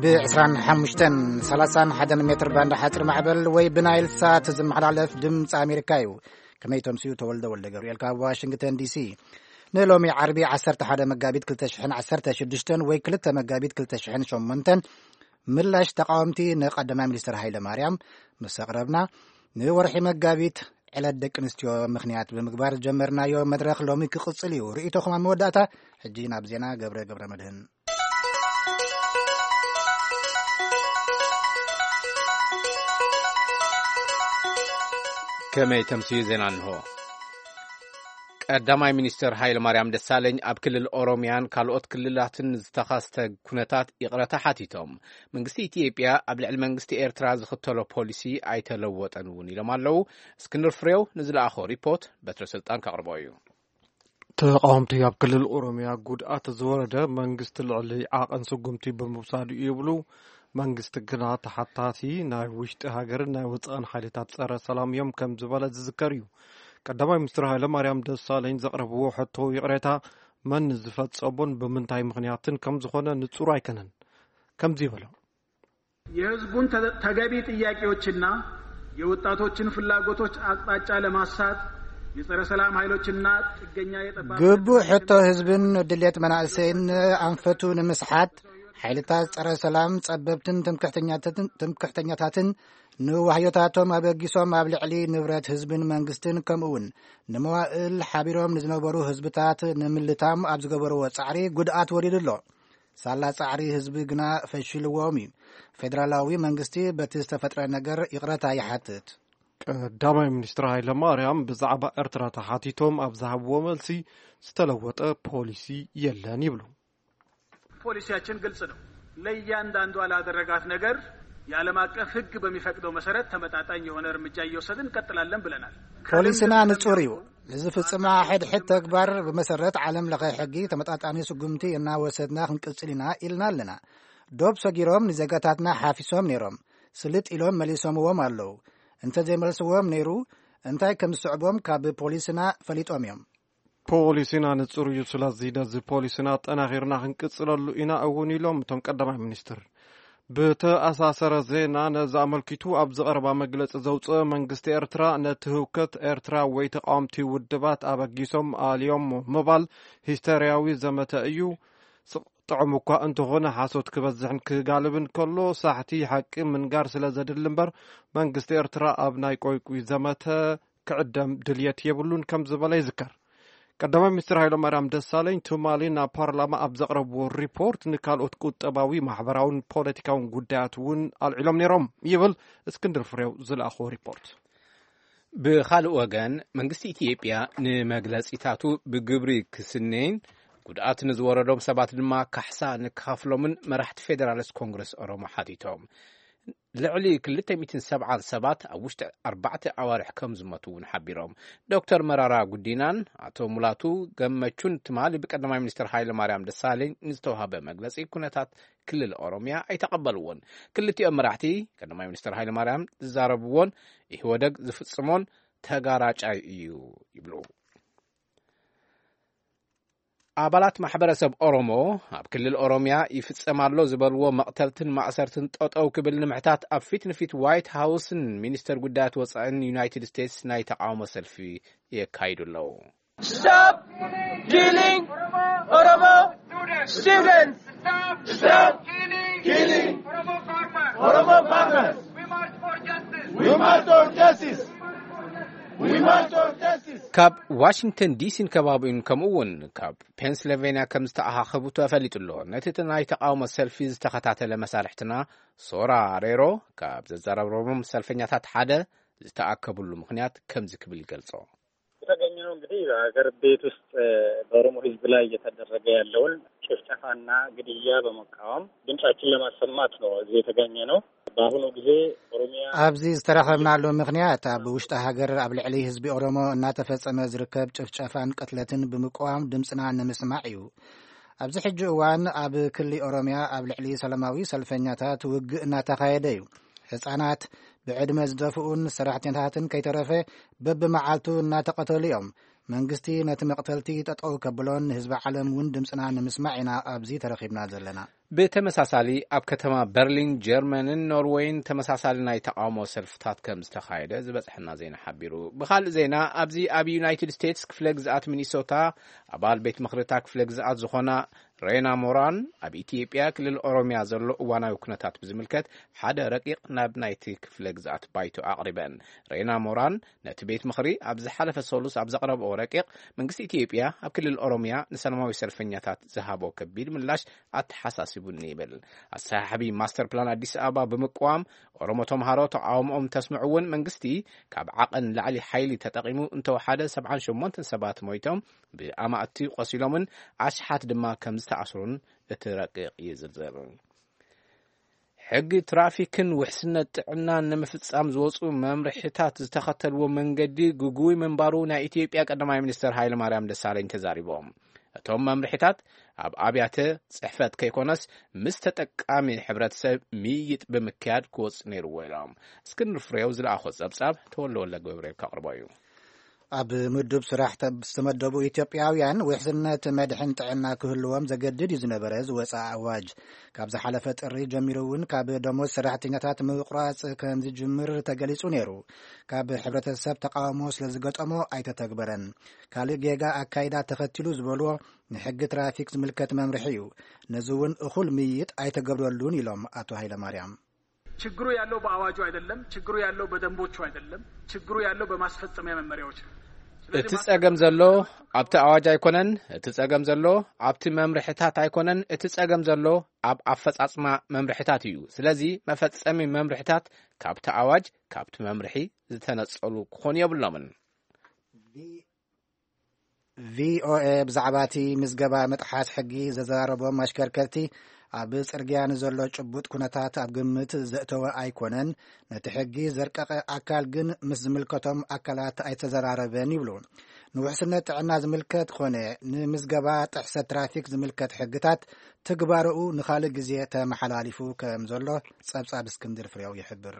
ብ ዕስራን ሓሙሽተን ሰላሳን ሓደን ሜትር ባንድ ሓፂር ማዕበል ወይ ብናይል ሳት ዝመሓላለፍ ድምፂ ኣሜሪካ እዩ። ከመይ ተምስዩ? ተወልደ ወልደ ገብርኤል ካብ ዋሽንግተን ዲሲ። ንሎሚ ዓርቢ ዓሰርተ ሓደ መጋቢት ክልተ ሽሕን ዓሰርተ ሽዱሽተን ወይ ክልተ መጋቢት ክልተ ሽሕን ሸሞንተን ምላሽ ተቃወምቲ ንቀዳማይ ሚኒስትር ሃይለ ማርያም ምስ ኣቕረብና፣ ንወርሒ መጋቢት ዕለት ደቂ ኣንስትዮ ምኽንያት ብምግባር ዝጀመርናዮ መድረኽ ሎሚ ክቕጽል እዩ። ርእይቶኹም ኣብ መወዳእታ። ሕጂ ናብ ዜና ገብረ ገብረ መድህን። ከመይ ተምስዩ ዜና እንሆ። ቀዳማይ ሚኒስትር ሃይለ ማርያም ደሳለኝ ኣብ ክልል ኦሮሚያን ካልኦት ክልላትን ዝተኸስተ ኩነታት ይቕረታ ሓቲቶም። መንግስቲ ኢትዮጵያ ኣብ ልዕሊ መንግስቲ ኤርትራ ዝኽተሎ ፖሊሲ ኣይተለወጠን እውን ኢሎም ኣለዉ። እስክንድር ፍሬው ንዝለኣኾ ሪፖርት በትረ ስልጣን ከቕርቦ እዩ። ተቃወምቲ ኣብ ክልል ኦሮሚያ ጉድኣት ዝወረደ መንግስቲ ልዕሊ ዓቐን ስጉምቲ ብምውሳዱ ይብሉ። መንግስቲ ግና ተሓታቲ ናይ ውሽጢ ሃገርን ናይ ወፃእን ሓይልታት ፀረ ሰላም እዮም ከም ዝበለ ዝዝከር እዩ። ቀዳማይ ሚኒስትር ሃይለ ማርያም ደሳለኝ ዘቕረብዎ ሕቶ ይቕሬታ መን ዝፈጸሞን ብምንታይ ምኽንያትን ከም ዝኾነ ንጹር ኣይከነን። ከምዚ ይበሎ። የህዝቡን ተ-፣ ተገቢ ጥያቄዎችና የወጣቶችን ፍላጎቶች አቅጣጫ ለማሳት የጸረ ሰላም ኃይሎችና ጥገኛ የጠባብ ግቡእ ሕቶ ህዝብን ድሌት መናእሰይን ኣንፈቱ ንምስሓት ሓይልታት ጸረ ሰላም ጸበብትን ትምክሕተኛታትን፣ ትምክሕተኛታትን ንዋህዮታቶም ኣበጊሶም ኣብ ልዕሊ ንብረት ህዝብን መንግስትን ከምኡውን ንመዋእል ሓቢሮም ንዝነበሩ ህዝብታት ንምልታም ኣብ ዝገበርዎ ጻዕሪ ጉድኣት ወሪዱ ኣሎ። ሳላ ጻዕሪ ህዝቢ ግና ፈሺልዎም እዩ። ፌደራላዊ መንግስቲ በቲ ዝተፈጥረ ነገር ይቕረታ ይሓትት። ቀዳማይ ሚኒስትር ሃይለ ማርያም ብዛዕባ ኤርትራ ተሓቲቶም ኣብ ዝሃብዎ መልሲ ዝተለወጠ ፖሊሲ የለን ይብሉ። ፖሊሲያችን ግልጽ ነው። ለእያንዳንዷ ላደረጋት ነገር የዓለም አቀፍ ሕግ በሚፈቅደው መሰረት ተመጣጣኝ የሆነ እርምጃ እየወሰድን እንቀጥላለን ብለናል። ፖሊስና ንጹር እዩ። ንዝፍጽማ ሕድሕድ ተግባር ብመሰረት ዓለም ለኸ ሕጊ ተመጣጣኒ ስጉምቲ እናወሰድና ክንቅጽል ኢና ኢልና ኣለና። ዶብ ሰጊሮም ንዜጋታትና ሓፊሶም ነይሮም። ስልጥ ኢሎም መሊሶምዎም ኣለዉ። እንተዘይመልስዎም ነይሩ እንታይ ከም ዝስዕቦም ካብ ፖሊስና ፈሊጦም እዮም። ፖሊሲና ንጹር እዩ፣ ስለዚ ነዚ ፖሊሲና ኣጠናኺርና ክንቅጽለሉ ኢና እውን ኢሎም እቶም ቀዳማይ ሚኒስትር። ብተኣሳሰረ ዜና ነዚ ኣመልኪቱ ኣብ ዝቐረባ መግለጺ ዘውፅአ መንግስቲ ኤርትራ ነቲ ህውከት ኤርትራ ወይ ተቃወምቲ ውድባት ኣበጊሶም ኣልዮሞ ምባል ሂስተርያዊ ዘመተ እዩ። ስቕ ጥዑም እኳ እንተኾነ ሓሶት ክበዝሕን ክጋልብን ከሎ ሳሕቲ ሓቂ ምንጋር ስለ ዘድሊ እምበር መንግስቲ ኤርትራ ኣብ ናይ ቆይቁይ ዘመተ ክዕደም ድልየት የብሉን ከም ዝበለ ይዝከር። ቀዳማይ ሚኒስትር ሃይለማርያም ደሳለኝ ትማሊ ናብ ፓርላማ ኣብ ዘቕረብዎ ሪፖርት ንካልኦት ቁጠባዊ፣ ማሕበራውን ፖለቲካውን ጉዳያት እውን ኣልዒሎም ነይሮም ይብል እስክንድር ፍሬው ዝለኣኽዎ ሪፖርት። ብኻልእ ወገን መንግስቲ ኢትዮጵያ ንመግለጺታቱ ብግብሪ ክስነይን ጉድኣት ንዝወረዶም ሰባት ድማ ካሕሳ ንክኸፍሎምን መራሕቲ ፌደራሊስት ኮንግረስ ኦሮሞ ሓቲቶም። ልዕሊ ክልተ ሚእትን ሰብዓን ሰባት ኣብ ውሽጢ ኣርባዕተ ኣዋርሕ ከም ዝሞቱ እውን ሓቢሮም። ዶክተር መራራ ጉዲናን ኣቶ ሙላቱ ገመቹን ትማሊ ብቀዳማይ ሚኒስትር ሃይለ ማርያም ደሳለኝ ንዝተዋህበ መግለጺ ኩነታት ክልል ኦሮሚያ ኣይተቐበልዎን። ክልቲኦም መራሕቲ ቀዳማይ ሚኒስትር ሃይለ ማርያም ዝዛረብዎን ኢህወደግ ዝፍጽሞን ተጋራጫይ እዩ ይብሉ። ኣባላት ማሕበረሰብ ኦሮሞ ኣብ ክልል ኦሮሚያ ይፍጸም ኣሎ ዝበልዎ መቕተልትን ማእሰርትን ጠጠው ክብል ንምሕታት ኣብ ፊት ንፊት ዋይት ሃውስን ሚኒስተር ጉዳያት ወጻእን ዩናይትድ ስቴትስ ናይ ተቃውሞ ሰልፊ የካይዱ ኣለዉ። Stop killing Oromo students! Stop killing Oromo farmers! We march for justice! We march for justice! We march for justice! ካብ ዋሽንግተን ዲሲን ከባቢኡን ከምኡ እውን ካብ ፔንስልቬንያ ከም ዝተኣኻኸቡ ተፈሊጡ ኣሎ። ነቲ ናይ ተቃውሞ ሰልፊ ዝተኸታተለ መሳርሕትና ሶራ ሬሮ ካብ ዘዘራረቦም ሰልፈኛታት ሓደ ዝተኣከብሉ ምኽንያት ከምዚ ክብል ይገልጾ። የተገኘነው እንግዲህ በሀገር ቤት ውስጥ በኦሮሞ ህዝብ ላይ እየተደረገ ያለውን ጭፍጨፋና ግድያ በመቃወም ድምጻችን ለማሰማት ነው እዚህ የተገኘነው። በአሁኑ ጊዜ ኦሮሚያ ኣብዚ ዝተረኸብናሉ ምኽንያት ኣብ ውሽጢ ሃገር ኣብ ልዕሊ ህዝቢ ኦሮሞ እናተፈጸመ ዝርከብ ጭፍጨፋን ቅትለትን ብምቅዋም ድምፅና ንምስማዕ እዩ። ኣብዚ ሕጂ እዋን ኣብ ክሊ ኦሮሚያ ኣብ ልዕሊ ሰላማዊ ሰልፈኛታት ውግእ እናተኻየደ እዩ። ህፃናት፣ ብዕድመ ዝደፍኡን ሰራሕተኛታትን ከይተረፈ በብመዓልቱ እናተቐተሉ እዮም። መንግስቲ ነቲ መቕተልቲ ጠጠው ከብሎን ንህዝቢ ዓለም እውን ድምፅና ንምስማዕ ኢና ኣብዚ ተረኺብና ዘለና። ብተመሳሳሊ ኣብ ከተማ በርሊን ጀርመንን ኖርወይን ተመሳሳሊ ናይ ተቃውሞ ሰልፍታት ከም ዝተኻየደ ዝበፅሐና ዜና ሓቢሩ። ብኻልእ ዜና፣ ኣብዚ ኣብ ዩናይትድ ስቴትስ ክፍለ ግዝኣት ሚኒሶታ ኣባል ቤት ምኽርታ ክፍለ ግዝኣት ዝኾና ሬና ሞራን ኣብ ኢትዮጵያ ክልል ኦሮሚያ ዘሎ እዋናዊ ኩነታት ብዝምልከት ሓደ ረቂቕ ናብ ናይቲ ክፍለ ግዝኣት ባይቶ ኣቕሪበን። ሬና ሞራን ነቲ ቤት ምኽሪ ኣብ ዝሓለፈ ሰሉስ ኣብ ዘቕረብኦ ረቂቕ፣ መንግስቲ ኢትዮጵያ ኣብ ክልል ኦሮሚያ ንሰላማዊ ሰልፈኛታት ዝሃቦ ከቢድ ምላሽ ኣተሓሳሲቡኒ ይብል። ኣሰሓሕቢ ማስተር ፕላን ኣዲስ ኣበባ ብምቅዋም፣ ኦሮሞ ተምሃሮ ተቃውሞኦም እንተስምዑ እውን፣ መንግስቲ ካብ ዓቐን ንላዕሊ ሓይሊ ተጠቂሙ እንተወሓደ ሰብዓን ሸሞንተን ሰባት ሞይቶም፣ ብኣማእቲ ቆሲሎምን ኣሽሓት ድማ ከም ዝተኣስሩን እቲ ረቂቕ ይዝርዝር። ሕጊ ትራፊክን ውሕስነት ጥዕናን ንምፍጻም ዝወጹ መምርሒታት ዝተኸተልዎ መንገዲ ግጉይ ምንባሩ ናይ ኢትዮጵያ ቀዳማይ ሚኒስትር ሃይለማርያም ደሳለኝ ተዛሪቦም። እቶም መምርሒታት ኣብ ኣብያተ ጽሕፈት ከይኮነስ፣ ምስ ተጠቃሚ ሕብረተሰብ ምይይጥ ብምክያድ ክወጽእ ነይርዎ ኢሎም። እስክንድር ፍሬው ዝለኣኾ ጸብጻብ ተወልደ ወልደ ገብርኤል ከቕርቦ እዩ። ኣብ ምዱብ ስራሕ ተብ-፣ ዝተመደቡ ኢትዮጵያውያን ውሕስነት መድሕን ጥዕና ክህልዎም ዘገድድ እዩ ዝነበረ ዝወፀ ኣዋጅ። ካብ ዝሓለፈ ጥሪ ጀሚሩ እውን ካብ ደሞዝ ሰራሕተኛታት ምቁራፅ ከም ዝጅምር ተገሊፁ ነይሩ። ካብ ሕብረተሰብ ተቃውሞ ስለ ዝገጠሞ ኣይተተግበረን። ካልእ ጌጋ ኣካይዳ ተኸቲሉ ዝበልዎ ንሕጊ ትራፊክ ዝምልከት መምርሒ እዩ። ነዚ እውን እኹል ምይይጥ ኣይተገብረሉን ኢሎም ኣቶ ሃይለማርያም። ችግሩ ያለው በአዋጁ አይደለም። ችግሩ ያለው በደንቦቹ አይደለም። ችግሩ ያለው በማስፈጸሚያ መመሪያዎች ነው። ስለዚህ እቲ ጸገም ዘሎ ኣብቲ ኣዋጅ ኣይኮነን። እቲ ጸገም ዘሎ ኣብቲ መምርሕታት ኣይኮነን። እቲ ጸገም ዘሎ ኣብ ኣፈጻጽማ መምርሕታት እዩ። ስለዚ መፈጸሚ መምርሕታት ካብቲ ኣዋጅ፣ ካብቲ መምርሒ ዝተነጸሉ ክኾኑ የብሎምን። ቪኦኤ ብዛዕባ እቲ ምዝገባ ምጥሓስ ሕጊ ዘዘራረቦም ኣሽከርከርቲ፣ ኣብ ጽርግያ ንዘሎ ጭቡጥ ኩነታት ኣብ ግምት ዘእተወ ኣይኮነን። ነቲ ሕጊ ዘርቀቐ ኣካል ግን ምስ ዝምልከቶም ኣካላት ኣይተዘራረበን ይብሉ። ንውሕስነት ጥዕና ዝምልከት ኮነ ንምዝገባ ጥሕሰት ትራፊክ ዝምልከት ሕግታት ትግባረኡ ንኻልእ ግዜ ተመሓላሊፉ ከም ዘሎ ጸብጻብ እስክንድር ፍሬው ይሕብር።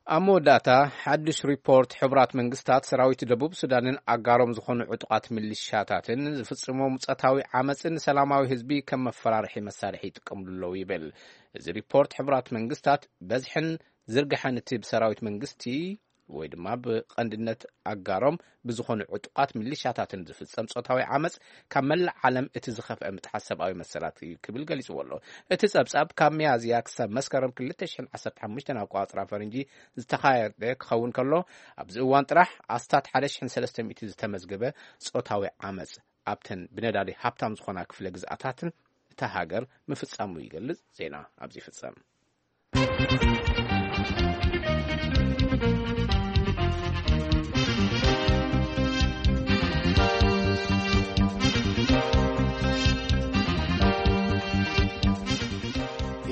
ኣብ መወዳእታ፣ ሓድሽ ሪፖርት ሕቡራት መንግስታት፣ ሰራዊት ደቡብ ሱዳንን ኣጋሮም ዝኾኑ ዕጡቓት ሚሊሻታትን ዝፍጽሞ ጾታዊ ዓመጽን ሰላማዊ ህዝቢ ከም መፈራርሒ መሳርሒ ይጥቀምሉ ኣለዉ ይብል። እዚ ሪፖርት፣ ሕቡራት መንግስታት በዝሕን ዝርግሐን እቲ ብሰራዊት መንግስቲ ወይ ድማ ብቐንድነት ኣጋሮም ብዝኾኑ ዕጡቓት ሚሊሻታትን ዝፍጸም ጾታዊ ዓመጽ፣ ካብ መላእ ዓለም እቲ ዝኸፍአ ምጥሓስ ሰብኣዊ መሰላት እዩ ክብል ገሊጽዎ ኣሎ። እቲ ጸብጻብ፣ ካብ ሚያዝያ ክሳብ መስከረም ክልተ ሽሕን ዓሰርተ ሓሙሽተን ኣቆጻጽራ ፈረንጂ ዝተኻየደ ክኸውን ከሎ፣ ኣብዚ እዋን ጥራሕ ኣስታት ሓደ ሽሕን ሰለስተ ሚእቲ ዝተመዝገበ ጾታዊ ዓመጽ ኣብተን ብነዳዲ ሃብታም ዝኾና ክፍለ ግዝኣታትን እታ ሃገር ምፍጻሙ ይገልጽ። ዜና ኣብዚ ይፍጸም።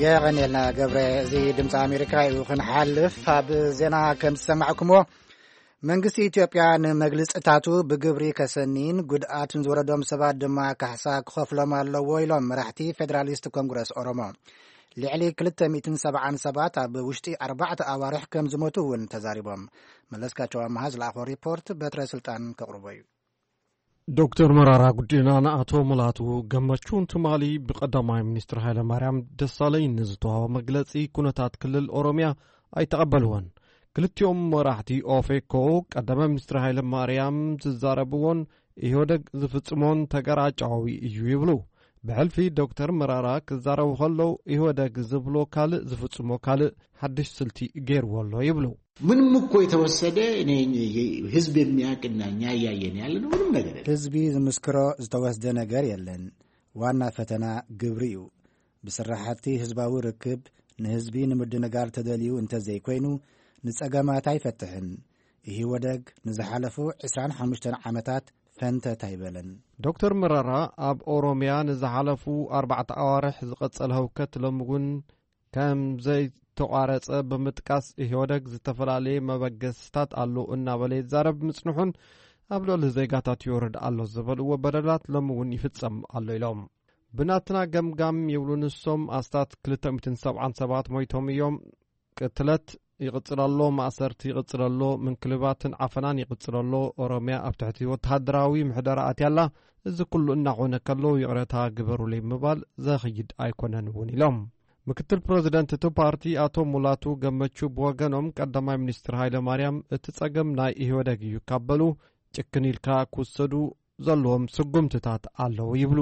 የቐንየልና ገብረ። እዚ ድምፂ ኣሜሪካ እዩ። ክንሓልፍ፣ ኣብ ዜና ከም ዝሰማዕኩምዎ፣ መንግስቲ ኢትዮጵያ ንመግልፅታቱ ብግብሪ ከሰኒን ጉድኣት ንዝወረዶም ሰባት ድማ ካሕሳ ክኸፍሎም ኣለዎ ኢሎም መራሕቲ ፌደራሊስት ኮንግረስ ኦሮሞ። ልዕሊ ክልተ ሚእትን ሰብዓን ሰባት ኣብ ውሽጢ ኣርባዕተ ኣዋርሕ ከም ዝሞቱ እውን ተዛሪቦም። መለስካቸው ኣመሃ ዝለኣኾ ሪፖርት በትረ ስልጣን ከቕርቦ እዩ። ዶክተር መራራ ጉዲና ንኣቶ ሙላቱ ገመቹን ትማሊ ብቀዳማይ ሚኒስትር ሃይለ ማርያም ደሳለኝ ንዝተዋህቦ መግለጺ ኩነታት ክልል ኦሮሚያ ኣይተቐበልዎን። ክልቲኦም መራሕቲ ኦፌኮ ቀዳማይ ሚኒስትር ሃይለ ማርያም ዝዛረብዎን ኢህወደግ ዝፍጽሞን ተገራጫዊ እዩ ይብሉ። ብሕልፊ ዶክተር መራራ ክዛረቡ ከለዉ ኢህወደግ ዝብሎ ካልእ ዝፍጽሞ ካልእ ሓድሽ ስልቲ ገይርዎ ኣሎ ይብሉ። ምንም እኮ የተወሰደ እኔ ህዝብ የሚያውቅና እኛ እያየን ያለነው ምንም ነገር የለም። ህዝቢ ዝምስክሮ ዝተወስደ ነገር የለን። ዋና ፈተና ግብሪ እዩ። ብስራሕቲ ህዝባዊ ርክብ ንህዝቢ ንምድንጋር ተደልዩ እንተዘይኮይኑ ንጸገማት ኣይፈትሕን። ኢህወደግ ንዝሓለፉ ዕስራን ሓሙሽተን ዓመታት ፈንተት ኣይበለን። ዶክተር መረራ ኣብ ኦሮሚያ ንዝሓለፉ ኣርባዕተ ኣዋርሕ ዝቐጸለ ህውከት ሎሚ እውን ከም ዘይተቋረጸ ብምጥቃስ ኢህወደግ ዝተፈላለየ መበገስታት ኣሎ እናበለ ይዛረብ ምጽንሑን ኣብ ልዕሊ ዜጋታት ይወርድ ኣሎ ዝበልዎ በደላት ሎሚ እውን ይፍጸም ኣሎ ኢሎም። ብናትና ገምጋም ይብሉ ንሶም ኣስታት ክልተ ሚእትን ሰብዓን ሰባት ሞይቶም እዮም። ቅትለት ይቕጽል ኣሎ፣ ማእሰርቲ ይቕጽል ኣሎ፣ ምንክልባትን ዓፈናን ይቕጽል ኣሎ፣ ኦሮምያ ኣብ ትሕቲ ወተሃደራዊ ምሕደራ ኣትያ ኣላ። እዚ ኩሉ እናኾነ ከሎ ይቕረታ ግበሩለይ ምባል ዘኽይድ ኣይኮነን እውን ኢሎም። ምክትል ፕረዚደንት እቲ ፓርቲ ኣቶ ሙላቱ ገመቹ ብወገኖም፣ ቀዳማይ ሚኒስትር ሃይለ ማርያም እቲ ጸገም ናይ ኢህወደግ እዩ ካብ በሉ፣ ጭክን ኢልካ ክውሰዱ ዘለዎም ስጉምትታት ኣለዉ ይብሉ።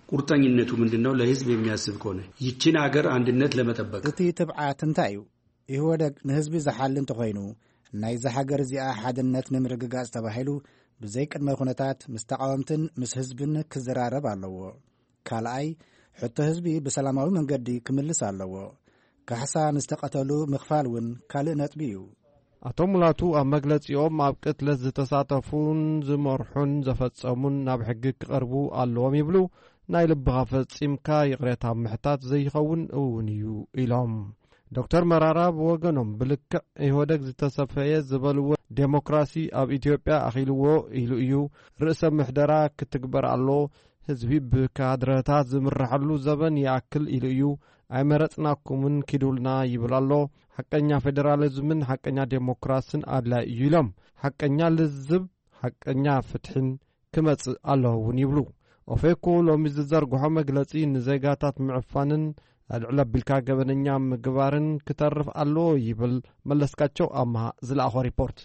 ቁርጠኝነቱ ምንድን ነው? ለህዝብ የሚያስብ ከሆነ ይችን ሀገር አንድነት ለመጠበቅ። እቲ ትብዓት እንታይ እዩ? ኢህወደግ ንህዝቢ ዝሓሊ እንተኾይኑ፣ ናይዛ ሃገር እዚኣ ሓድነት ንምርግጋጽ ተባሂሉ ብዘይ ቅድመ ኩነታት ምስ ተቓወምትን ምስ ህዝብን ክዘራረብ ኣለዎ። ካልኣይ፣ ሕቶ ህዝቢ ብሰላማዊ መንገዲ ክምልስ ኣለዎ። ካሕሳ ንዝተቐተሉ ምኽፋል እውን ካልእ ነጥቢ እዩ። ኣቶ ሙላቱ ኣብ መግለጺኦም፣ ኣብ ቅትለት ዝተሳተፉን ዝመርሑን ዘፈጸሙን ናብ ሕጊ ክቐርቡ ኣለዎም ይብሉ። ናይ ልብኻ ፈጺምካ ይቕሬታ ምሕታት ዘይኸውን እውን እዩ ኢሎም። ዶክተር መራራ ብወገኖም፣ ብልክዕ ኢህወደግ ዝተሰፈየ ዝበልዎ ዴሞክራሲ ኣብ ኢትዮጵያ ኣኺልዎ ኢሉ እዩ። ርእሰ ምሕደራ ክትግበር ኣሎ። ህዝቢ ብካድረታት ዝምረሐሉ ዘበን ይኣክል ኢሉ እዩ። ኣይመረጽናኩምን ኪዱልና ይብል ኣሎ። ሓቀኛ ፌደራሊዝምን ሓቀኛ ዴሞክራስን ኣድላይ እዩ ኢሎም። ሓቀኛ ልዝብ፣ ሓቀኛ ፍትሕን ክመጽእ ኣለዎ እውን ይብሉ። ኦፌኮ ሎሚ ዝዘርግሖ መግለጺ ንዜጋታት ምዕፋንን ኣልዕል ኣቢልካ ገበነኛ ምግባርን ክተርፍ ኣለዎ ይብል። መለስካቸው ኣምሃ ዝለኣኾ ሪፖርት።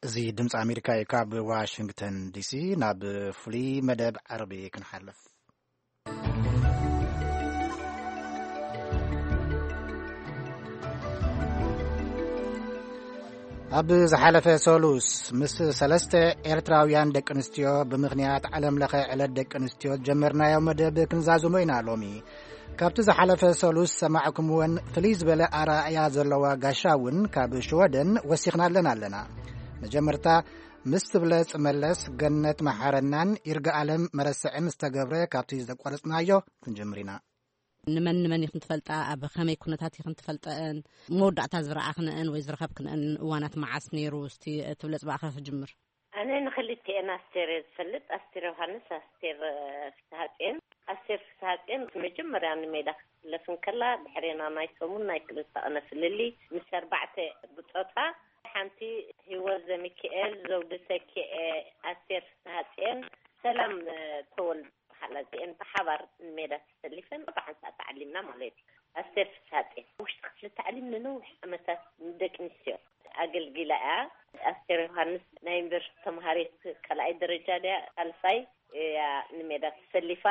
እዚ ድምፂ ኣሜሪካ እዩ። ካብ ዋሽንግተን ዲሲ ናብ ፍሉይ መደብ ዓርቢ ክንሓልፍ። ኣብ ዝሓለፈ ሰሉስ ምስ ሰለስተ ኤርትራውያን ደቂ ኣንስትዮ ብምኽንያት ዓለም ለኸ ዕለት ደቂ ኣንስትዮ ዝጀመርናዮ መደብ ክንዛዝሞ ኢና። ሎሚ ካብቲ ዝሓለፈ ሰሉስ ሰማዕኩምወን ፍልይ ዝበለ ኣረኣእያ ዘለዋ ጋሻ እውን ካብ ሽወደን ወሲኽናለን ኣለና። መጀመርታ ምስ ትብለጽ መለስ፣ ገነት መሓረናን ይርጋኣለም መረስዕን ዝተገብረ ካብቲ ዘቋረጽናዮ ክንጀምር ኢና። ንመን ንመን ኢኽን ትፈልጣ፣ ኣብ ከመይ ኩነታት ኢኽን ትፈልጠአን፣ መወዳእታ ዝረኣኽንአን ወይ ዝረኸብክንአን እዋናት መዓስ ነይሩ? እስቲ ትብለጽ ብኣኻ ክጅምር። ኣነ ንኽልቲኤን ኣስቴር እየ ዝፈልጥ፣ ኣስቴር ዮሃንስ፣ ኣስቴር ፍስሃጽዮን። ኣስቴር ፍስሃጽዮን መጀመርያ ንሜዳ ክትስለፍ እንከላ፣ ድሕሬና ናይ ሰሙን ናይ ክልተ ቅነ ፍልልይ ምስ ኣርባዕተ ብጾታ፣ ሓንቲ ህይወት ዘሚካኤል፣ ዘውዲ ተኪኤ፣ ኣስቴር ፍስሃጽዮን፣ ሰላም ተወልደ በሃላ፣ እዚኤን ብሓባር ንሜዳ ተሰሊፈን ብሓንሳእ ተዓሊምና ማለት እዩ። ኣስቴር ፍስሃጽዮን፣ ውሽጢ ክፍሊ ታዕሊም ንነዊሕ ዓመታት ንደቂ ኣንስትዮ ኣገልጊላ እያ። ኣስቴር ዮሃንስ ናይ ዩኒቨርሲቲ ተምሃሪት ካልኣይ ደረጃ ድያ ሳልሳይ እያ ንሜዳ ተሰሊፋ።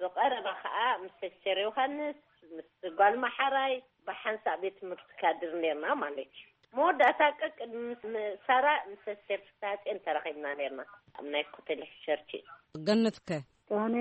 ብቐረባ ኸኣ ምስ ኣስቴር ዮሃንስ፣ ምስ ጓል መሓራይ ብሓንሳእ ቤት ትምህርቲ ካድር ነርና ማለት እዩ። መወዳእታ ቀቅድ ምስ ሳራ ምስ ኣስቴር ፍስሃጽዮን ተራኺብና ነርና ኣብ ናይ ኮተሌ ቸርች። ገነትከ? ኣነ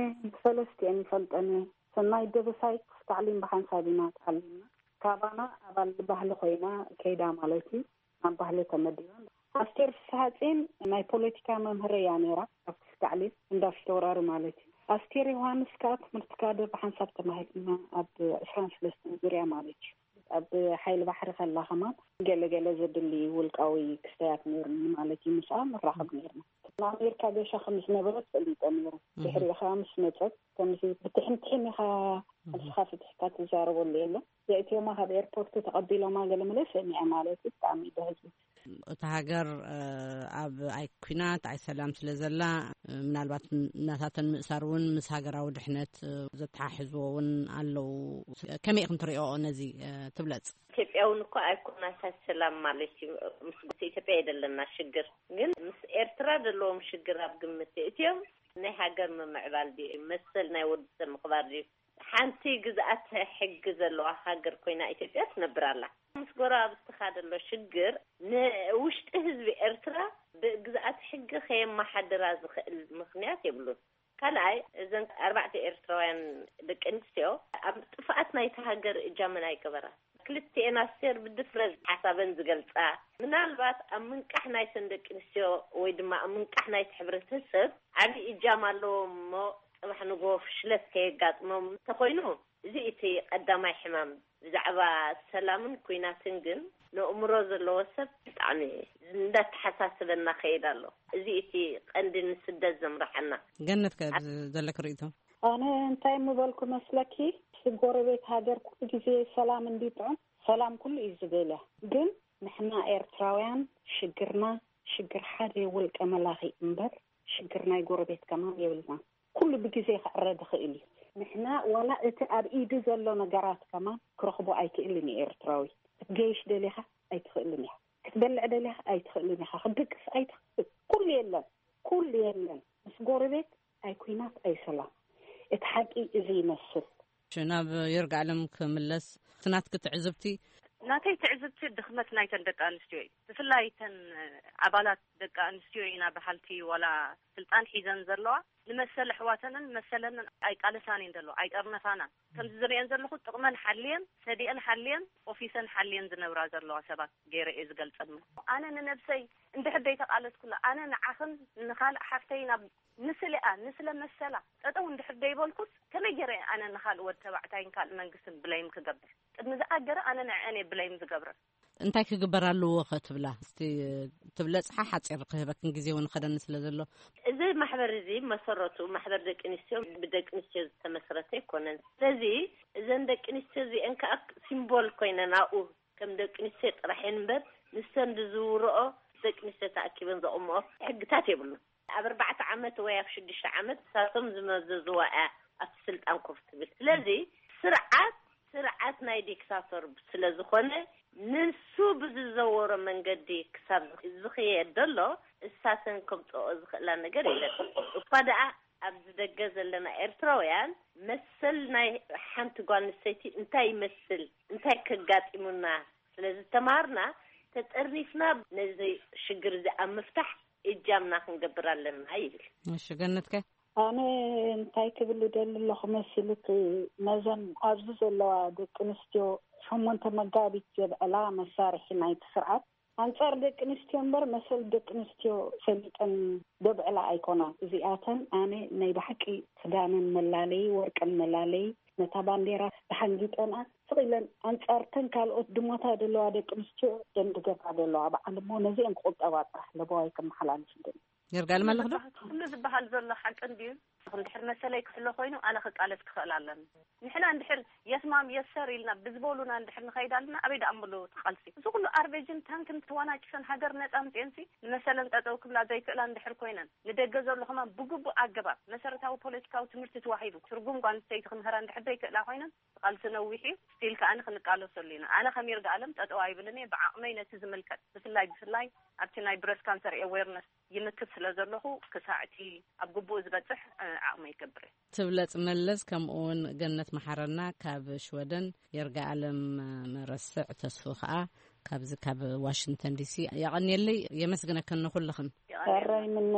ሰለስቲኤን ይፈልጠን እየ። ሰናይ ደበሳይ ታዕሊም ብሓንሳብ ኢና ተዓሊምና። ካባና ኣባል ባህሊ ኮይና ከይዳ ማለት እዩ። ኣብ ባህሊ ተመዲባ። ኣስቴር ፍስሃጽዮን ናይ ፖለቲካ መምህር እያ ነይራ ኣብ ክፍሊ ታዕሊም እንዳ ፊተውራሪ ማለት እዩ። ኣስቴር ዮሃንስ ከኣ ትምህርቲ ካድር ብሓንሳብ ተማሂርና ኣብ ዕስራን ሰለስተን ዙርያ ማለት እዩ። ኣብ ሓይሊ ባሕሪ ከላ ከማን ገለ ገለ ዘድሊ ውልቃዊ ክስተያት ነይሩኒ ማለት እዩ። ምስኣ ንራኸብ ነይርና። ንኣሜሪካ ገሻ ከም ዝነበረት ፈሊጠ ነይሩ። ድሕሪኡ ከዓ ምስ መፀት ከምዚ ብትሕንትሕን ኢኻ ኣልስኻ ፍትሕካ ትዛረበሉ የለን። ዘእትዮማ ካብ ኤርፖርት ተቐቢሎማ ገለ መለ ሰሚዐ ማለት እዩ። ብጣዕሚ ደህዝብ። እታ ሃገር ኣብ ኣይ ኩናት ኣይ ሰላም ስለ ዘላ ምናልባት ናታተን ምእሳር እውን ምስ ሃገራዊ ድሕነት ዘተሓሕዝዎ እውን ኣለዉ። ከመይ ኢኹም ትሪኦ ነዚ ትብለጽ? ኢትዮጵያ እውን እኮ ኣይኮናት ኣይ ሰላም ማለት እዩ። ምስ ኢትዮጵያ የደለና ሽግር ግን ምስ ኤርትራ ዘለዎም ሽግር ኣብ ግምት እትዮም ናይ ሃገር ምምዕባል ድዩ መሰል ናይ ወዲ ሰብ ምኽባር ድዩ ሓንቲ ግዝኣት ሕጊ ዘለዋ ሃገር ኮይና ኢትዮጵያ ትነብር ኣላ። ምስ ጎረባብትኻ ዘሎ ሽግር ንውሽጢ ህዝቢ ኤርትራ ብግዝኣት ሕጊ ከየመሓድራ ዝኽእል ምኽንያት የብሉን። ካልኣይ እዘን ኣርባዕተ ኤርትራውያን ደቂ ኣንስትዮ ኣብ ጥፍኣት ናይቲ ሃገር እጃመን ኣይገበራ። ክልቲኤን ኣስቴር ብድፍረት ሓሳበን ዝገልፃ ምናልባት ኣብ ምንቃሕ ናይተን ደቂ ኣንስትዮ ወይ ድማ ኣብ ምንቃሕ ናይቲ ሕብረተሰብ ዓብዪ እጃም ኣለዎም እሞ ፅባሕ ንግሆ ፍሽለት ከየጋጥሞም እንተኾይኑ እዚ እቲ ቀዳማይ ሕማም። ብዛዕባ ሰላምን ኲናትን ግን ነእምሮ ዘለዎ ሰብ ብጣዕሚ እንዳተሓሳስበና ከይድ ኣሎ። እዚ እቲ ቀንዲ ንስደት ዘምርሓና። ገነት ከ ዘለክ ርእይቶ? ኣነ እንታይ ምበልኩ መስለኪ ጎረቤት ሃገር ኩሉ ግዜ ሰላም እንዲጥዑም ሰላም ኩሉ እዩ ዝደልያ። ግን ንሕና ኤርትራውያን ሽግርና ሽግር ሓደ ውልቀ መላኺ እምበር ሽግር ናይ ጎረቤት ከማን የብልና። ኩሉ ብግዜ ክዕረ ዝኽእል እዩ። ንሕና ዋላ እቲ ኣብ ኢዱ ዘሎ ነገራት ከማን ክረኽቦ ኣይክእልን እዩ ኤርትራዊ። ክትገይሽ ደሊኻ ኣይትኽእልን ኢኻ። ክትበልዕ ደሊኻ ኣይትኽእልን ኢኻ። ክትድቅስ ኣይትኽእል። ኩሉ የለን፣ ኩሉ የለን። ምስ ጎረቤት ኣይኩናት ኣይሰላም። እቲ ሓቂ እዚ ይመስል። ናብ ይርጋለም ክምለስ፣ እቲ ናትኪ ትዕዝብቲ? ናተይ ትዕዝብቲ ድኽመት ናይተን ደቂ ኣንስትዮ እዩ። ብፍላይ ተን ኣባላት ደቂ ኣንስትዮ ኢና በሃልቲ ዋላ ስልጣን ሒዘን ዘለዋ ንመሰል ኣሕዋተንን መሰለንን ኣይቃለሳን እየን ዘለዋ፣ ኣይጠርነፋናን። ከምዚ ዝርእየን ዘለኹ ጥቕመን ሓልየን፣ ሰዲአን ሓልየን፣ ኦፊሰን ሓልየን ዝነብራ ዘለዋ ሰባት ገይረ እየ ዝገልጸን። ኣነ ንነብሰይ እንድሕር ደይተቓለስኩላ፣ ኣነ ንዓኽን ንኻልእ ሓፍተይ ናብ ንስሊኣ ንስለ መሰላ ጠጠው እንድሕር ደይበልኩስ ከመይ ገይረ ኣነ ንኻልእ ወድ ተባዕታይን ካልእ መንግስትን ብለይም ክገብር? ቅድሚ ዝኣገረ ኣነ ንዕአን እየ ብለይም ዝገብረን። እንታይ ክግበር ኣለዎ ከ ትብላ? እስቲ ትብለጽሓ ሓጺር ክህበክን ግዜ እውን ኸደኒ ስለ ዘሎ። እዚ ማሕበር እዚ መሰረቱ ማሕበር ደቂ ኣንስትዮ ብደቂ ኣንስትዮ ዝተመስረተ ኣይኮነን። ስለዚ እዘን ደቂ ኣንስትዮ እዚአን ከዓ ሲምቦል ኮይነን ኣብኡ ከም ደቂ ኣንስትዮ ጥራሕ እየን እምበር ንሰን ዝዝውርኦ ደቂ ኣንስትዮ ተኣኪበን ዘቑምኦ ሕግታት የብሉን። ኣብ ኣርባዕተ ዓመት ወይ ኣብ ሽዱሽተ ዓመት ንሳቶም ዝመዘዝዋ እያ ኣብቲ ስልጣን ኮፍ ትብል። ስለዚ ስርዓት ስርዓት ናይ ዲክታቶር ስለ ዝኾነ ንሱ ብዝዘወሮ መንገዲ ክሳብ ዝኽየድ ዘሎ እሳተን ከምፅኦ ዝኽእላ ነገር የለን። እኳ ደኣ ኣብዚ ደገ ዘለና ኤርትራውያን መሰል ናይ ሓንቲ ጓል ኣንስተይቲ እንታይ ይመስል እንታይ ከጋጢሙና ስለ ዝተማሃርና ተጠርኒፍና ነዚ ሽግር እዚ ኣብ ምፍታሕ እጃምና ክንገብር ኣለና ይብል። እሺ ገነትከ? ኣነ እንታይ ክብል ደሊ ኣለኹ መሲሉክ ነዘን ኣብዚ ዘለዋ ደቂ ኣንስትዮ ሸሞንተ መጋቢት ዘብዕላ መሳርሒ ናይቲ ስርዓት ኣንጻር ደቂ ኣንስትዮ እምበር መሰል ደቂ ኣንስትዮ ፈሊጠን ዘብዕላ ኣይኮናን። እዚኣተን ኣነ ናይ ብሓቂ ክዳነን መላለይ ወርቀን መላለይ ነታ ባንዴራ ተሓንጊጠንኣ ስቕ ኢለን ኣንጻርተን ካልኦት ድሞታ ዘለዋ ደቂ ኣንስትዮ ደንድገባ ዘለዋ በዓል እሞ ነዚአን ክቑጠባ ጥራሕ ለበዋይ ከመሓላልፍ ደሊ። ይርጋል መለኽዶ? ኩሉ ዝበሃል ዘሎ ሓቂ እንድዩ። እንድሕር መሰለይ ክሕሎ ኮይኑ ኣነ ክቃለስ ክኽእል ኣለኒ። ንሕና እንድሕር የስማም የሰር ኢልና ብዝበሉና እንድሕር ንኸይድ ኣለና ኣበይ ደኣ ምሉ ትቃልሲ? እዚ ኩሉ ኣርቤጅን ታንክን ተዋናጭፈን ሃገር ነጻ ኣምጽኤንሲ ንመሰለን ጠጠው ክብላ ዘይክእላ እንድሕር ኮይነን ንደገ ዘሎ ከማን ብግቡእ ኣገባብ መሰረታዊ ፖለቲካዊ ትምህርቲ ተዋሂቡ ትርጉም ጓል ኣንስተይቲ ክምህራ እንድሕር ዘይክእላ ኮይነን ቃልሲ ነዊሕ እዩ። ስቲል ከኣ ክንቃለሰሉ ኢና። ኣነ ከም ይርጋ ኣለም ጠጠው ኣይብልን እየ። ብዓቕመይ ነቲ ዝምልከት ብፍላይ ብፍላይ ኣብቲ ናይ ብረስ ካንሰር ኤዌርነስ ይምክት ስለ ዘለኹ ክሳዕ እቲ ኣብ ግቡእ ዝበፅሕ ዓቕመይ ይገብር እየ። ትብለጽ መለስ ከምኡ እውን ገነት መሓረና ካብ ሽወደን፣ የርጋ ኣለም መረስዕ ተስፉ ከኣ ካብዚ ካብ ዋሽንግተን ዲሲ። የቐንየለይ፣ የመስግነክን ንኹልኽን። የቐንየልና። ሕራይ ምነ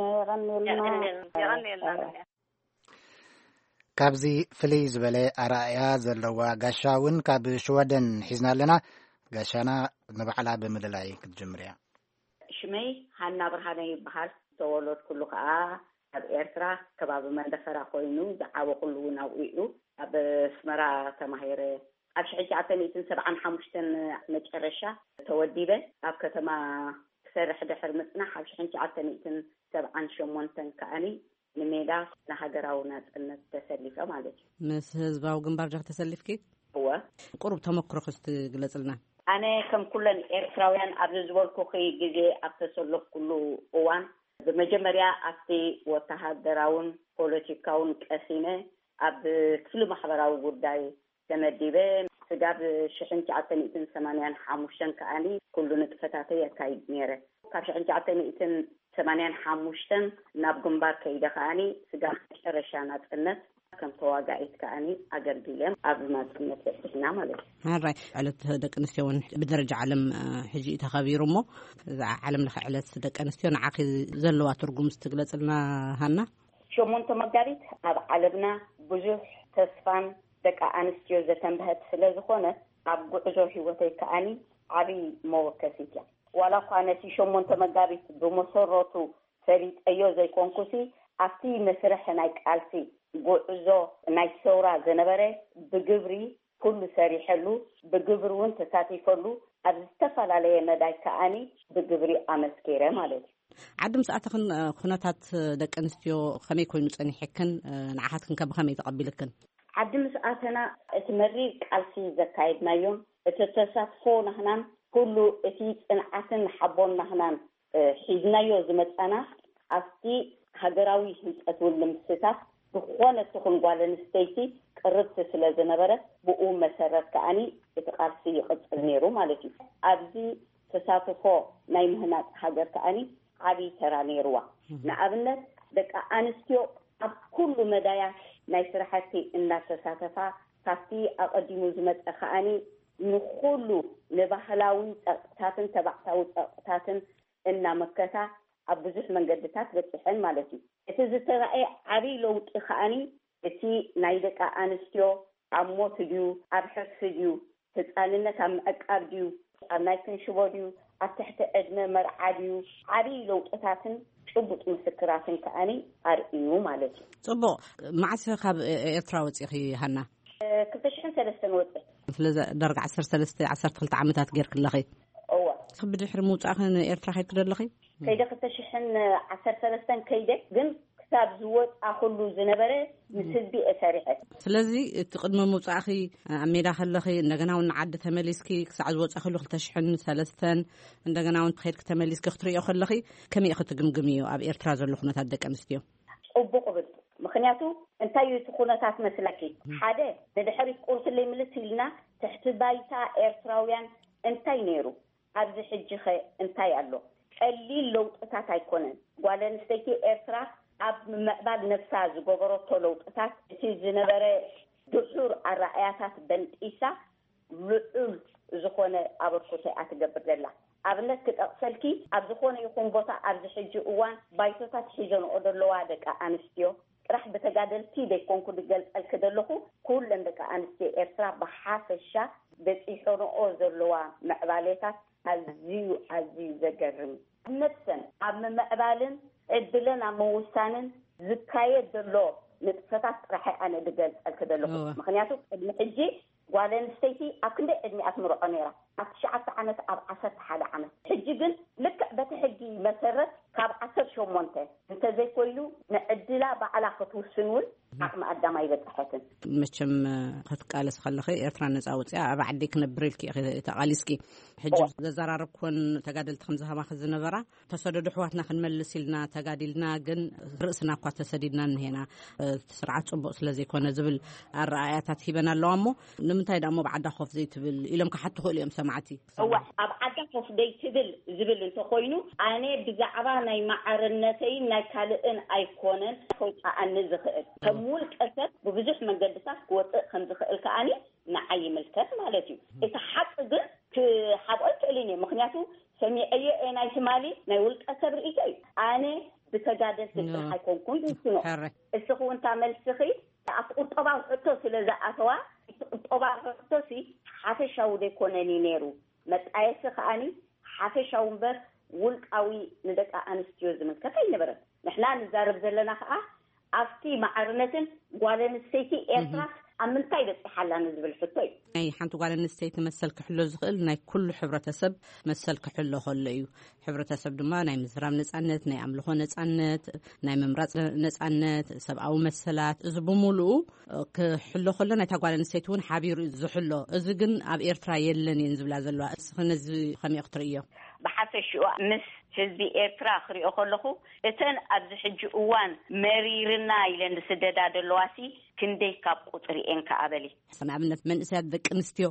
የቐንየልና። የቐንየልና። ካብዚ ፍልይ ዝበለ ኣረኣእያ ዘለዋ ጋሻ እውን ካብ ሽወደን ሒዝና ኣለና። ጋሻና ንባዕላ ብምልላይ ክትጅምር እያ። ሽመይ ሃና ብርሃነ ይበሃል። ዝተወለድኩሉ ከኣ ኣብ ኤርትራ ከባቢ መንደፈራ ኮይኑ ዝዓበኹሉ እውን ኣብኡ እዩ። ኣብ ኣስመራ ተማሂረ። ኣብ ሽሕን ትሽዓተ ሚእትን ሰብዓን ሓሙሽተን መጨረሻ ተወዲበ ኣብ ከተማ ክሰርሕ ድሕር ምጽናሕ ኣብ ሽሕን ትሽዓተ ሚእትን ሰብዓን ሸሞንተን ከኣኒ ንሜዳ ንሃገራዊ ናጽነት ተሰሊፈ ማለት እዩ። ምስ ህዝባዊ ግንባር ዲኺ ተሰሊፍኪ? እወ። ቁሩብ ተመክሮኺ እስቲ ግለጽልና። ኣነ ከም ኩለን ኤርትራውያን ኣብዚ ዝበልኩኺ ግዜ ኣብ ተሰለፍኩሉ እዋን ብመጀመርያ ኣብቲ ወተሃደራውን ፖለቲካውን ቀሲነ ኣብ ክፍሊ ማሕበራዊ ጉዳይ ተመዲበ። ስጋብ ሽሕን ትሽዓተ ሚእትን ሰማንያን ሓሙሽተን ከኣኒ ኩሉ ንጥፈታተይ የካይድ ነይረ። ካብ ሽሕን ትሽዓተ ሚእትን ሰማንያን ሓሙሽተን ናብ ግንባር ከይደ ከኣኒ ስጋብ መጨረሻ ናጽነት ከም ተዋጋኢት ከኣኒ ኣገልጊለ ኣብ ናጽነት በጺሕና ማለት እዩ። ሕራይ ዕለት ደቂ ኣንስትዮ እውን ብደረጃ ዓለም ሕጂ እዩ ተኸቢሩ እሞ እዛ ዓለም ለኸ ዕለት ደቂ ኣንስትዮ ንዓኺ ዘለዋ ትርጉም ስትግለጽልና ሃና? ሸሞንተ መጋቢት ኣብ ዓለምና ብዙሕ ተስፋን ደቂ ኣንስትዮ ዘተንበሀት ስለ ዝኾነ ኣብ ጉዕዞ ህይወተይ ከኣኒ ዓብዪ መወከሲት እያ። ዋላ እኳ ነቲ ሸሞንተ መጋቢት ብመሰረቱ ፈሊጠዮ ዘይኮንኩሲ ኣብቲ መስርሕ ናይ ቃልሲ ጉዕዞ ናይ ሰውራ ዝነበረ ብግብሪ ኩሉ ሰሪሐሉ ብግብሪ እውን ተሳቲፈሉ ኣብ ዝተፈላለየ መዳይ ከኣኒ ብግብሪ ኣመስኪረ ማለት እዩ። ዓዲ ምስ ኣተኽን ኩነታት ደቂ ኣንስትዮ ከመይ ኮይኑ ጸኒሕክን ንዓኻትክን ከ ብኸመይ ተቐቢልክን? ዓዲ ምስ ኣተና እቲ መሪር ቃልሲ ዘካየድናዮን እቲ ተሳትፎ ናህናን ኩሉ እቲ ጽንዓትን ሓቦን ናህናን እ፣ ሒዝናዮ ዝመጻና ኣብቲ ሃገራዊ ህንጸት እውን ንምስታፍ ዝኾነት ትኹን ጓል ኣንስተይቲ ቅርብቲ ስለ ዝነበረት ብኡ መሰረት ከኣኒ እቲ ቃልሲ ይቕጽል ነይሩ ማለት እዩ። ኣብዚ ተሳትፎ ናይ ምህናጽ ሃገር ከኣኒ ዓብዪ ተራ ነይርዋ። ንኣብነት ደቂ ኣንስትዮ ኣብ ኩሉ መዳያት ናይ ስራሕቲ እናተሳተፋ ካብቲ ኣቐዲሙ ዝመጸ ከኣኒ ንኹሉ ንባህላዊ ጸቕጥታትን ተባዕታዊ ጸቕጥታትን እናመከታ ኣብ ብዙሕ መንገድታት በጺሐን ማለት እዩ። እቲ ዝተራእየ ዓብዪ ለውጢ ከኣኒ እቲ ናይ ደቂ ኣንስትዮ ኣብ ሞት ድዩ ኣብ ሕርሲ ድዩ ህፃንነት ኣብ ምዕቃብ ድዩ ኣብ ናይ ክንሽቦ ድዩ ኣብ ትሕቲ ዕድመ መርዓ ድዩ ዓብዪ ለውጥታትን ጭቡጥ ምስክራትን ከኣኒ ኣርእዩ ማለት እዩ። ጽቡቕ። መዓስ ካብ ኤርትራ ወጺኺ ሃና? ክልተ ሽሕን ሰለስተን ወፅእ። ስለዚ ዳርጋ ዓሰርተ ሰለስተ ዓሰርተ ክልተ ዓመታት ጌርክለኺ። እወ። ብድሕሪ ምውፃእኺ ንኤርትራ ከይድኪ ደለኺ? ከይደ ክልተ ሽሕን ዓሰርተ ሰለስተን ከይደ ግን ክሳብ ዝወፃ ኩሉ ዝነበረ ምስ ህዝቢ እየ ሰሪሐ። ስለዚ እቲ ቅድሚ ምውፃእኺ ኣብ ሜዳ ከለኺ እንደገና እውን ንዓዲ ተመሊስኪ ክሳዕ ዝወፃእክሉ ክልተ ሽሕን ሰለስተን እንደገና እውን ከይድኪ ተመሊስኪ ክትርእዮ ከለኺ ከመይ ኢኺ ትግምግምዮ ኣብ ኤርትራ ዘሎ ኩነታት ደቂ ኣንስትዮ? ፅቡቕ እብል። ምኽንያቱ እንታይ እዩ እቲ ኩነታት መስለኪ? ሓደ ንድሕሪት ቁርትለይ ምልስ ኢልና ትሕቲ ባይታ ኤርትራውያን እንታይ ነይሩ? ኣብዚ ሕጂ ኸ እንታይ ኣሎ? ቀሊል ለውጥታት ኣይኮነን። ጓል ኣንስተይቲ ኤርትራ ኣብ ምምዕባል ነፍሳ ዝገበረቶ ለውጥታት እቲ ዝነበረ ድሑር ኣረኣያታት በንጢሳ ልዑል ዝኾነ ኣበርክቶ እያ ትገብር ዘላ። ኣብነት ክጠቕሰልኪ ኣብ ዝኾነ ይኹን ቦታ ኣብዚ ሕጂ እዋን ባይቶታት ሒዘንኦ ዘለዋ ደቂ ኣንስትዮ ጥራሕ ብተጋደልቲ ዘይኮንኩ ዝገልጸልኪ ዘለኹ ኩለን ደቂ ኣንስትዮ ኤርትራ ብሓፈሻ በጺሖንኦ ዘለዋ ምዕባሌታት ኣዝዩ ኣዝዩ ዘገርም እዩ። ነብሰን ኣብ ምምዕባልን ዕድለን ኣብ ምውሳንን ዝካየድ ዘሎ ንጥፈታት ጥራሕ ኣነ ዝገልጸልኪ ዘለኹ። ምክንያቱ ቅድሚ ሕጂ ጓል ኣንስተይቲ ኣብ ክንደይ ዕድሚኣ ትምርዖ ነይራ? ኣብ ትሽዓተ ዓመት ኣብ ዓሰርተ ሓደ ዓመት። ሕጂ ግን ልክዕ በቲ ሕጊ መሰረት ካብ ዓሰርተ ሸሞንተ እንተዘይኮይኑ ንዕድላ ባዕላ ክትውስን እውን ዓቕሚ ኣዳም ኣይበፅሐትን። መቸም ክትቃለስ ከለኺ ኤርትራ ነፃ ወፅያ ኣብ ዓዲ ክነብር ኢልኪ ኢኺ ተቓሊስኪ። ሕጂ ዘዘራረብኩወን ተጋደልቲ ከምዚ ከማኺ ዝነበራ ተሰደዱ ኣሕዋትና ክንመልስ ኢልና ተጋዲልና ግን ርእስና እኳ ተሰዲድና እንሄና፣ እቲ ስርዓት ጽቡቕ ስለ ዘይኮነ ዝብል ኣረኣእያታት ሂበን ኣለዋ። እሞ ንምንታይ ደኣ እሞ ብዓዳ ኮፍ ዘይትብል ኢሎም ክሓቱ ክእሉ እዮም ሰማዕቲ። እዋ ኣብ ዓዳ ኮፍ ደይትብል ዝብል እንተኾይኑ ኣነ ብዛዕባ ናይ ማዕርነተይን ናይ ካልእን ኣይኮነን ከውፅኣኒ ዝኽእል። ከም ውልቀ ሰብ ብብዙሕ መንገድታት ክወፅእ ከም ዝኽእል ከኣኒ ንዓይ ይምልከት ማለት እዩ። እቲ ሓቂ ግን ክሓብኦ ኣይክእልን እየ። ምክንያቱ ሰሚዐዮ እየ ናይ ትማሊ ናይ ውልቀ ሰብ ርእይቶ እዩ። ኣነ ብተጋደልቲ ጥራሕ ኣይኮንኩን ዝውስኖ። ሕረ እስኹ እንታ መልስኺ ኣብ ቁጠባዊ ሕቶ ስለ ዝኣተዋ እቲ ቁጠባዊ ሕቶ ሲ ሓፈሻዊ ዘይኮነን እዩ ነይሩ። መጣየሲ ከኣኒ ሓፈሻዊ እምበር ውልቃዊ ንደቂ ኣንስትዮ ዝምልከት ኣይነበረን። ንሕና ንዛረብ ዘለና ከኣ ኣብቲ ማዕርነትን ጓል ኣንስተይቲ ኤርትራስ ኣብ ምንታይ በጺሓ ኣላ ንዝብል ሕቶ እዩ። ናይ ሓንቲ ጓል ኣንስተይቲ መሰል ክሕሎ ዝኽእል ናይ ኩሉ ሕብረተሰብ መሰል ክሕሎ ከሎ እዩ። ሕብረተሰብ ድማ ናይ ምዝራብ ነጻነት፣ ናይ ኣምልኾ ነጻነት፣ ናይ ምምራጽ ነጻነት፣ ሰብኣዊ መሰላት፣ እዚ ብምሉኡ ክሕሎ ከሎ ናይታ ጓል ኣንስተይቲ እውን ሓቢሩ እዩ ዝሕሎ። እዚ ግን ኣብ ኤርትራ የለን እየን ዝብላ ዘለዋ። እስኺ ነዚ ከመይ ክትርእዮ? ብሓፈሽኡ ምስ ህዝቢ ኤርትራ ክሪኦ ከለኹ እተን ኣብዚ ሕጂ እዋን መሪርና ኢለን ዝስደዳ ዘለዋሲ ክንደይ ካብ ቁፅሪ እየን ከኣ በሊ። ንኣብነት መንእሰያት ደቂ ኣንስትዮ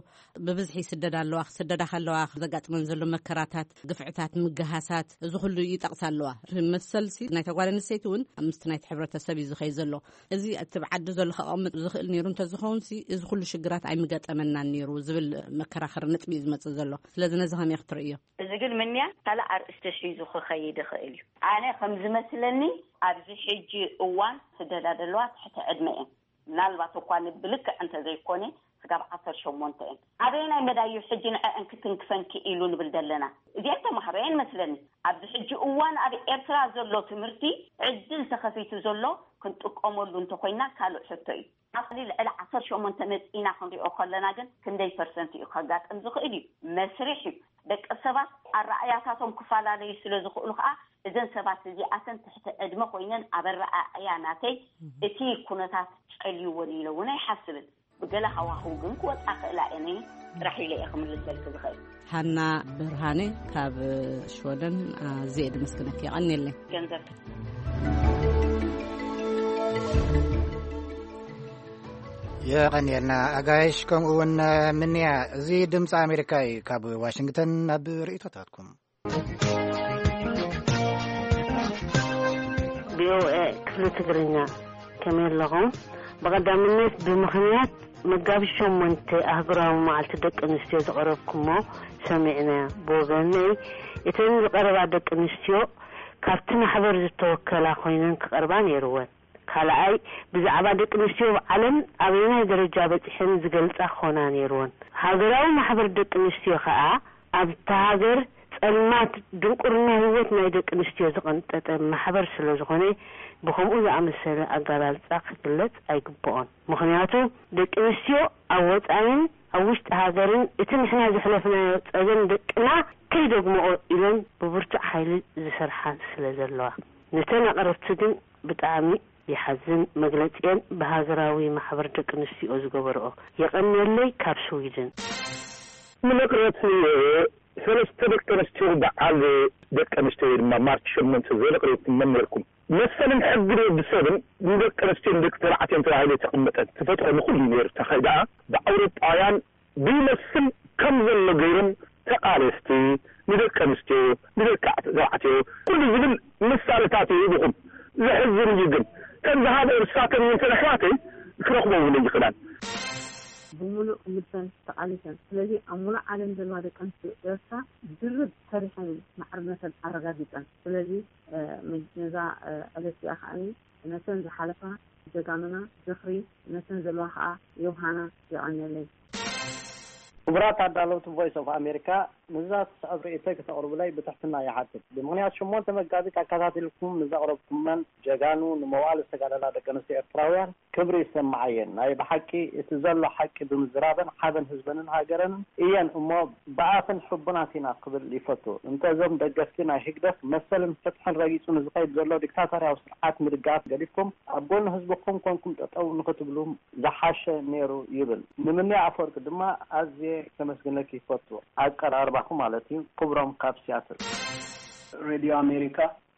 ብብዝሒ ይስደዳ ኣለዋ። ክስደዳ ከለዋ ዘጋጥመን ዘሎ መከራታት፣ ግፍዕታት፣ ምግሃሳት፣ እዚ ኩሉ ይጠቕሳ ኣለዋ። መሰልሲ ናይታ ጓል ኣንስተይቲ እውን ምስቲ ናይቲ ሕብረተሰብ እዩ ዝኸይ ዘሎ። እዚ እቲ ብዓዲ ዘሎ ከቐምጥ ዝኽእል ነይሩ እንተዝኸውንሲ እዚ ኩሉ ሽግራት ኣይምገጠመናን ነይሩ ዝብል መከራኸሪ ነጥቢ እዩ ዝመጽእ ዘሎ። ስለዚ ነዚ ከመይ ክትርእዮ? እዚ ግን ምንያ ካልእ ኣርእስቲ ሒዙ ክኸይድ ይኽእል እዩ። ኣነ ከም ዝመስለኒ ኣብዚ ሕጂ እዋን ስደዳ ዘለዋ ትሕቲ ዕድመ እየን። ምናልባት እኳ ንብልክዕ እንተዘይኮነ ስጋብ ዓሰርተ ሸሞንተ እየን። ኣበየናይ መዳዩ ሕጂ ንዐአን ክትንክፈን ክኢሉ ንብል ዘለና? እዚኣን ተማሃሮ እየን መስለኒ። ኣብዚ ሕጂ እዋን ኣብ ኤርትራ ዘሎ ትምህርቲ ዕድል ተኸፊቱ ዘሎ ክንጥቀመሉ እንተኮይና ካልእ ሕቶ እዩ። ኣብ ልዕሊ ዓሰርተ ሸሞንተ መጺእና ክንሪኦ ከለና ግን ክንደይ ፐርሰንት እዩ ከጋጥም ዝኽእል እዩ? መስርሕ እዩ። ደቂ ሰባት ኣረኣእያታቶም ክፈላለዩ ስለ ዝኽእሉ ከዓ እዘን ሰባት እዚኣተን ትሕቲ ዕድመ ኮይነን ኣብ ኣረኣእያ ናተይ እቲ ኩነታት ጨልይወን ኢለ እውን ኣይሓስብን። ብገለ ሃዋህው ግን ክወፃ ክእላ እየ ጥራሕ ኢለ እየ ክምልሰልኪ ዝኽእል። ሃና ብርሃነ ካብ ሽወደን ኣዝየ ድመስግነኪ። የቐንየለይ። ገንዘብ የቐንየልና ኣጋይሽ፣ ከምኡ እውን ምንያ። እዚ ድምፂ ኣሜሪካ እዩ። ካብ ዋሽንግተን ናብ ርእይቶታትኩም። ቪኦኤ ክፍሊ ትግርኛ፣ ከመይ ኣለኹም? ብቐዳምነት፣ ብምኽንያት መጋቢት ሸሞንተ ኣህጉራዊ መዓልቲ ደቂ ኣንስትዮ ዘቕረብኩሞ ሰሚዕና። ብወገነይ፣ እተን ዝቐረባ ደቂ ኣንስትዮ ካብቲ ማሕበር ዝተወከላ ኮይነን ክቐርባ ነይርወን። ካልኣይ፣ ብዛዕባ ደቂ ኣንስትዮ ኣብ ዓለም ኣበየናይ ደረጃ በጺሐን ዝገልጻ ክኾና ነይርወን። ሃገራዊ ማሕበር ደቂ ኣንስትዮ ከኣ ኣብታ ሃገር ጸልማት ድንቁርና ህይወት ናይ ደቂ ኣንስትዮ ዝቐንጠጠ ማሕበር ስለ ዝኾነ፣ ብኸምኡ ዝኣመሰለ ኣገላልጻ ክግለጽ ኣይግብኦን። ምኽንያቱ፣ ደቂ ኣንስትዮ ኣብ ወጻኢን ኣብ ውሽጢ ሃገርን እቲ ንሕና ዘሕለፍናዮ ጸገም ደቅና ከይደግምኦ ኢለን ብብርቱዕ ሓይሊ ዝሰርሓ ስለ ዘለዋ። ነተን ኣቕረብቲ ግን ብጣዕሚ ይሓዝን። መግለጺኤን ብሃገራዊ ማሕበር ደቂ ኣንስትዮ ዝገበርኦ። የቐንየለይ። ካብ ስዊድን። ንመቕረብቲ ሰለስተ ደቂ ኣንስትዮ በዓል ደቂ ኣንስትዮ ወይ ድማ ማርች ሸሞንተ ዘየቕረብኩም መን ነርኩም? መሰልን ሕግን ወዲ ሰብን ንደቂ ኣንስትዮን ደቂ ተባዕትዮን ተባሂሉ የተቐመጠ ተፈጥሮ ንኹሉ እዩ ነይሩ። ተኸይ ደኣ ብኣውሮጳውያን ብይመስል ከም ዘሎ ገይሮም ተቓለስቲ ንደቂ ኣንስትዮ ንደቂ ተባዕትዮ ኩሉ ዝብል ምሳሌታት እዩ ይብኹም። ዘሕዝን እዩ ግን ከም ዝሃበ እርሳተን እየን ተን ኣሕዋተይ ክረኽቦ እውን ኣይኽእላን። ብምሉእ ልበን ተቓሊሰን። ስለዚ ኣብ ሙሉእ ዓለም ዘለዋ ደቂ ኣንስትዮ ኤርትራ ድርብ ሰሪሐን ማዕርነተን ኣረጋጊጸን። ስለዚ ነዛ ዕለት እዚኣ ከዓኒ ነተን ዝሓለፋ ጀጋኑና ዝኽሪ፣ ነተን ዘለዋ ከኣ የውሃና። የቐንየለይ። ክቡራት ኣዳለውቲ ቮይስ ኦፍ ኣሜሪካ፣ ንዛ ትስዕብ ርእይቶይ ክተቕርቡለይ ብትሕትና ይሓትት። ብምኽንያት ሸሞንተ መጋቢት ኣከታቲልኩም ንዘቕረብኩመን ጀጋኑ ንመዋእለ ዝተጋደላ ደቂ ኣንስትዮ ኤርትራውያን ክብሪ ይሰምዓየን። ናይ ብሓቂ እቲ ዘሎ ሓቂ ብምዝራበን ሓበን ህዝበንን ሃገረንን እየን እሞ ብኣፈን ሕቡናት ኢና ክብል ይፈቱ። እንተ እዞም ደገፍቲ ናይ ህግደፍ መሰልን ፍትሕን ረጊጹ ንዝኸይድ ዘሎ ዲክታቶርያዊ ስርዓት ምድጋፍ ገዲፍኩም ኣብ ጎኒ ህዝብኹም ኮንኩም ጠጠው ንኽትብሉ ዝሓሸ ነይሩ ይብል። ንምንያ ኣፈወርቂ ድማ ኣዝየ ከመስግነኪ ይፈቱ። ኣቀራርባኹም ማለት እዩ። ክብሮም ካብ ሲያትል። ሬድዮ ኣሜሪካ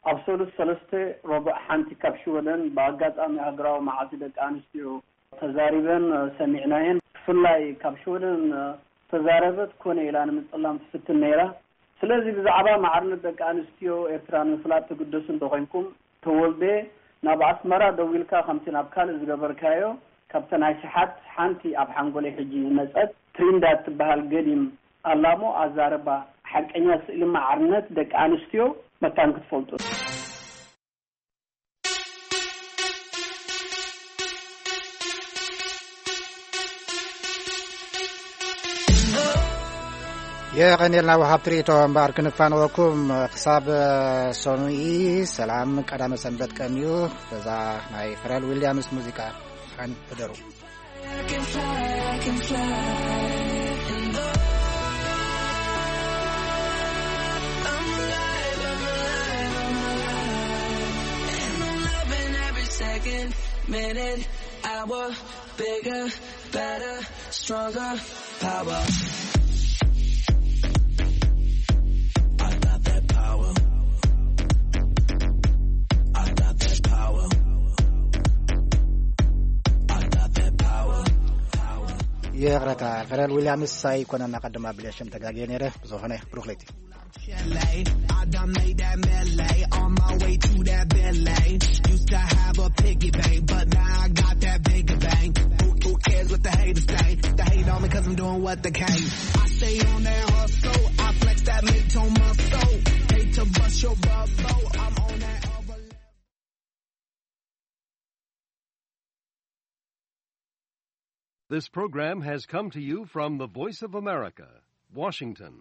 ኣብ ሰሉስ ሰለስተ ረቡዕ ሓንቲ ካብ ሽወደን ብኣጋጣሚ ሃገራዊ መዓልቲ ደቂ ኣንስትዮ ተዛሪበን ሰሚዕናየን። ብፍላይ ካብ ሽወደን ዝተዛረበት ኮነ ኢላ ንምጽላም ትፍትን ነይራ። ስለዚ ብዛዕባ ማዕርነት ደቂ ኣንስትዮ ኤርትራ ንምፍላጥ ትግደሱ እንተኾይንኩም፣ ተወልደ ናብ ኣስመራ ደዊልካ ከምቲ ናብ ካልእ ዝገበርካዮ ካብተን ኣሽሓት ሓንቲ ኣብ ሓንጎለይ ሕጂ ዝመጸት ትሪንዳድ ትበሃል ገዲም ኣላሞ ኣዛርባ ሓቀኛ ስእሊ ማዕርነት ደቂ ኣንስትዮ መታን ክትፈልጡ። የቐንየልና ወሃብቲ ርእይቶ እምበኣር ክንፋንወኩም ክሳብ ሰኑኢ ሰላም ቀዳመ ሰንበት ቀንዩ በዛ ናይ ፈረል ዊልያምስ ሙዚቃ ሓን ሕደሩ። Second, minute, hour, bigger, better, stronger, power. I got that power. I got that power. I got that power. ይቕረታ ፈረል ዊልያምስ ኣይኮነን ኣቐድም ኣቢለ ሽም ተጋግየ ነይረ። ብዝኾነ ብሩኽ ለይቲ። Chalet. I done made that melee on my way to that Bentley. Used to have a piggy bank, but now I got that bigger bank. Who, who cares what the haters say? They hate on me 'cause I'm doing what they can't. I stay on that hustle. I flex that mid-tone muscle. Hate to bust your bubble. I'm on that other level. This program has come to you from the Voice of America, Washington.